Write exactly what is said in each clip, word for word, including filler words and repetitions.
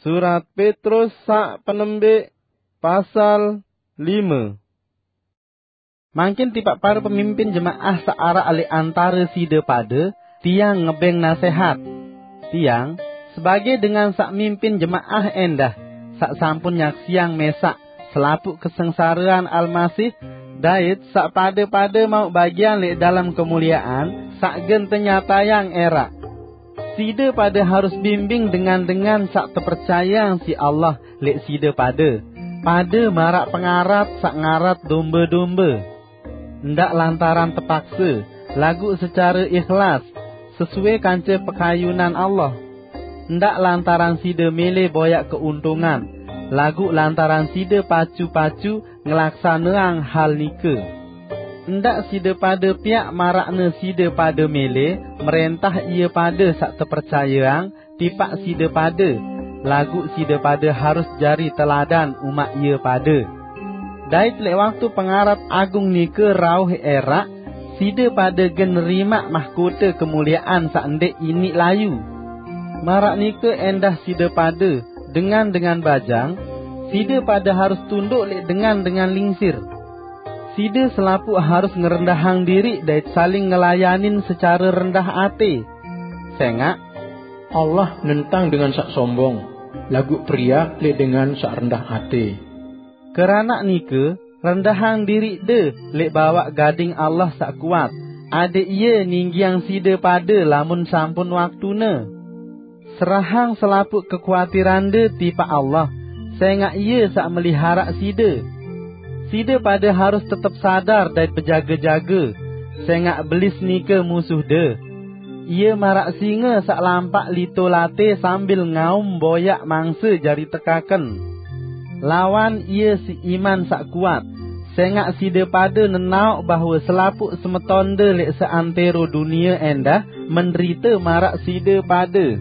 Surat Petrus sak penembik, pasal lima. Mangkin tipak para pemimpin jemaah sak arak alik antara side pada, tiang ngebeng nasehat. Tiang, sebagai dengan sak mimpin jemaah endah, sak sampun nyaksiang mesak selapuk kesengsaraan Almasih, dait sak pada-pada mau bagian lek dalam kemuliaan sak gen tenyatayang erak. Side pada harus bimbing dengan-dengan sak tepercayang si Allah lek side pada, pada marak pengarat sak ngarat domba-domba. Ndak lantaran tepaksa, lagu secara ikhlas, sesuai kanca pekayunan Allah. Ndak lantaran side mele boyak keuntungan, lagu lantaran side pacu-pacu ngelaksaneang hal nika. Ndak side pada piak marakne side pada mele merentah ia pada sak tepercayang tipak side pada, lagu side pada harus jari teladan umat ia pada. Dait lek waktu pengarat agung nika rauh erak, side pada gen nerimak mahkota kemuliaan sak ndek inik layu. Marak nika endah side pada, dengan-dengan bajang, side pada harus tunduk lek dengan-dengan lingsir. Side selapuk harus ngerendahang diri dait saling ngelayanin secara rendah ate. Sengak, Allah nentang dengan sak sombong, lagu priak lek dengan sak rendah ate. Keranak nika, rendahang diri de lek bawak gading Allah sak kuat, ade ia ninggiang side pada lamun sampun waktune. Serahang selapuk kekuatiran de tipak Allah, sengak ia sak meliharak side. Side pada harus tetep sadar dait bejaga-jaga, sengak belis nika musuh de. Ia marak singa sak lampak lito late sambil ngaum boyak mangsa jari tekaken. Lawan ia si iman sak kuat, sengak side pada nenauk bahwa selapuk semeton de lek seantero dunia endah menderita marak side pada.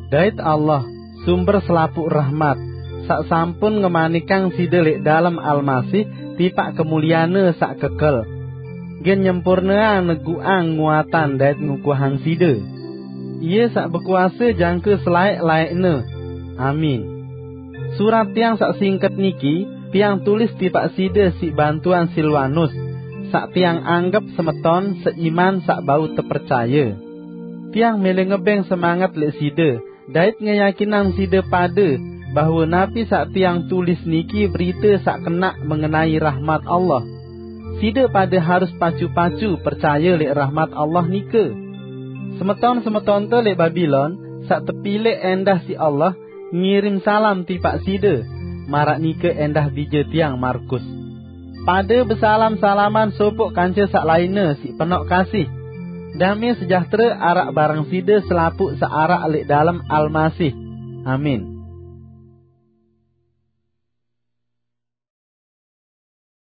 Dait Allah, sumber selapuk rahmat, sak sampun ngemanikang side lek dalam Almasih tipak kemuliane sak kekel, gen nyempurneang neguang nguatan dait ngukuhang side. Ia sak bekuasa jangka selaek-laekne. Amin. Surat tiang sak singket niki, tiang tulis tipak side si bantuan Silwanus, sak tiang anggep semeton seiman sak bau tepercaya. Tiang mele ngebeng semangat lek side, dait ngeyakinang side pada bahwa napi sak tiang tulis niki berita sak kenak mengenai rahmat Allah. Side pada harus pacu-pacu percaya lek rahmat Allah nika. Semeton-semeton te lek Babilon, sak tepilek endah si Allah, ngirim salam tipak side, marak nika endah bija tiang Markus. Pada besalam-salaman sopok kanca sak lainne si penok kasih. Dame sejahtera arak barang side selapuk sak arak lek dalam Almasih. Amin.